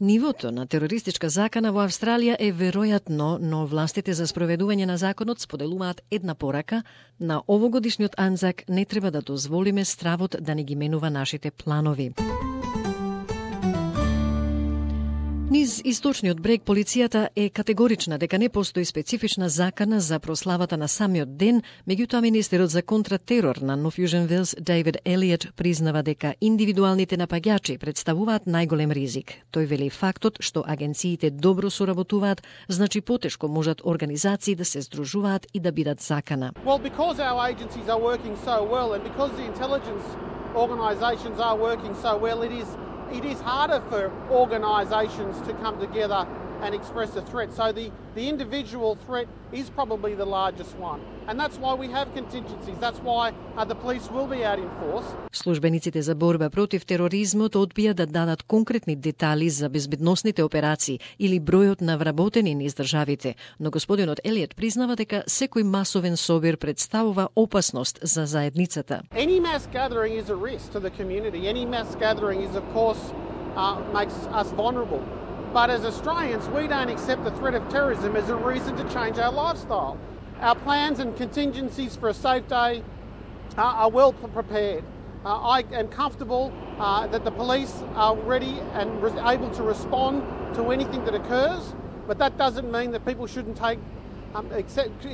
Нивото на терористичка закана во Австралија е веројатно, но властите за спроведување на законот споделуваат една порака: на овогодишниот Анзак не треба да дозволиме стравот да не ги менува нашите планови. Низ источниот брег полицијата е категорична дека не постои специфична закана за прославата на самиот ден, меѓутоа министерот за контратерор на North Fusion Wales David Elliott признава дека индивидуалните напаѓачи представуваат најголем ризик. Тој вели фактот што агенциите добро соработуваат, значи потешко можат организации да се здружуваат и да бидат закана. Well, because our agencies are working so well and because the intelligence organisations are working so well, it is harder for organisations to come together and express a threat. So the individual threat is probably the largest one. And that's why we have contingencies. That's why the police will be out in force. Службениците за борба против тероризмот одбија да дадат конкретни детали за безбедносните операции или бројот на вработени низ државите, но господинот Елиот признава дека секој масовен собир представува опасност за заедницата. Any mass gathering is a risk to the community. Any mass gathering is, of course, makes us vulnerable. But as Australians, we don't accept the threat of terrorism as a reason to change our lifestyle. Our plans and contingencies for a safe day are well prepared. I am comfortable that the police are ready and able to respond to anything that occurs, but that doesn't mean that people shouldn't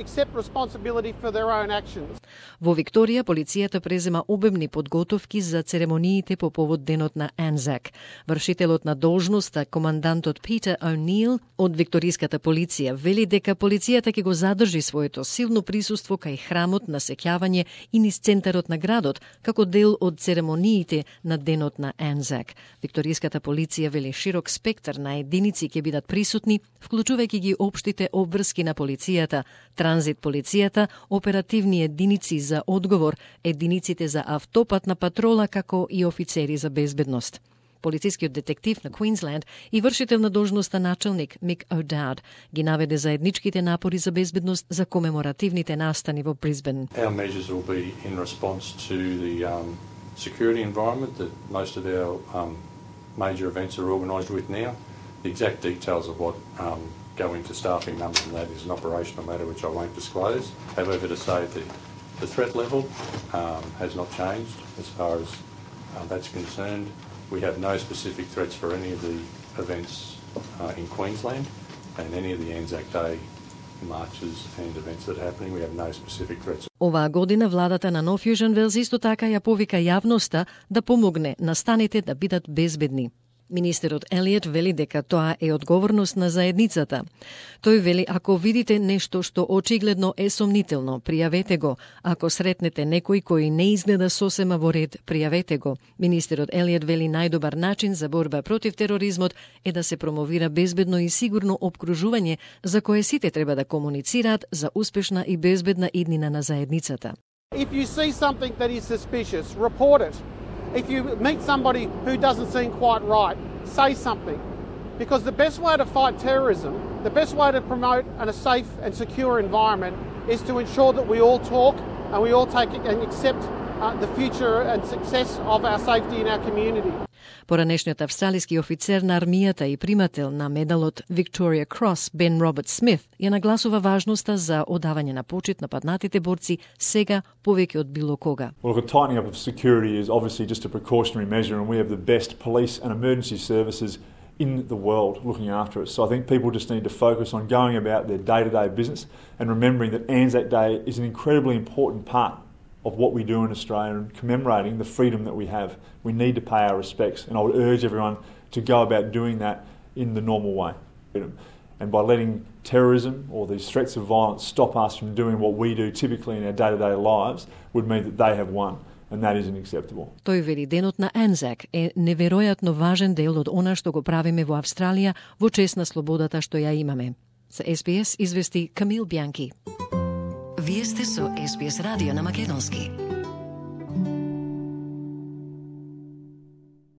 accept responsibility for their own actions. Во Викторија, полицијата презема обемни подготовки за церемониите по повод денот на Анзак. Вршителот на должноста, командантот Питер О'Нил од викториската полиција, вели дека полицијата ќе го задржи своето силно присуство кај храмот на сеќавање и низ центарот на градот, како дел од церемониите на денот на Анзак. Викториската полиција вели широк спектар на единици ќе бидат присутни, вклучувајќи ги општите обврски на полицијата, транзит полицијата, оперативни единици за одговор, единиците за автопатна патрола, како и офицери за безбедност. Полицискиот детектив на Квинсленд и вршител на должноста началник Мик O'Dowd ги наведе заедничките напори за безбедност за комеморативните настани во Брисбен. Our measures will be in response to the security environment that most of our major events are organised with now. The exact details of what go into staffing numbers and that is an operational matter which I won't disclose. However, to say the threat level has not changed as far as that's concerned. We have no specific threats for any of the events in Queensland and any of the Anzac Day marches and events that are happening. We have no specific threats. Оваа година владата на North Fusion Wales исто така ја повика јавноста да помогне настаните да бидат безбедни. Министерот Елиот вели дека тоа е одговорност на заедницата. Тој вели, ако видите нешто што очигледно е сомнително, пријавете го. Ако сретнете некој кој не изгледа сосема во ред, пријавете го. Министерот Елиот вели најдобар начин за борба против тероризмот е да се промовира безбедно и сигурно опкружување за кое сите треба да комуницираат за успешна и безбедна иднина на заедницата. If you see something that is suspicious, report it. If you meet somebody who doesn't seem quite right, say something. Because the best way to fight terrorism, the best way to promote a safe and secure environment is to ensure that we all talk and we all take and accept the future and success of our safety in our community. Поранешниот австралиски офицер на армијата и примател на медалот Victoria Cross Бен Роберт Смит ја нагласува важноста за одавање на почит на паднатите борци сега повеќе од било кога. Well, the tightening up of security is obviously just a precautionary measure and we have the best police and emergency services in the world looking after us. So I think people just need to focus on going about their day-to-day business and remembering that Anzac Day is an incredibly important part of what we do in Australia and commemorating the freedom that we have. We need to pay our respects and I would urge everyone to go about doing that in the normal way. And by letting terrorism or these threats of violence stop us from doing what we do typically in our day-to-day lives would mean that they have won. And that isn't acceptable. Тој вели денот на Анзак е неверојатно важен дел од она што го правиме во Австралија во чест на слободата што ја имаме. За SBS извести Камил Бјанки. Вие сте со SBS радио на македонски.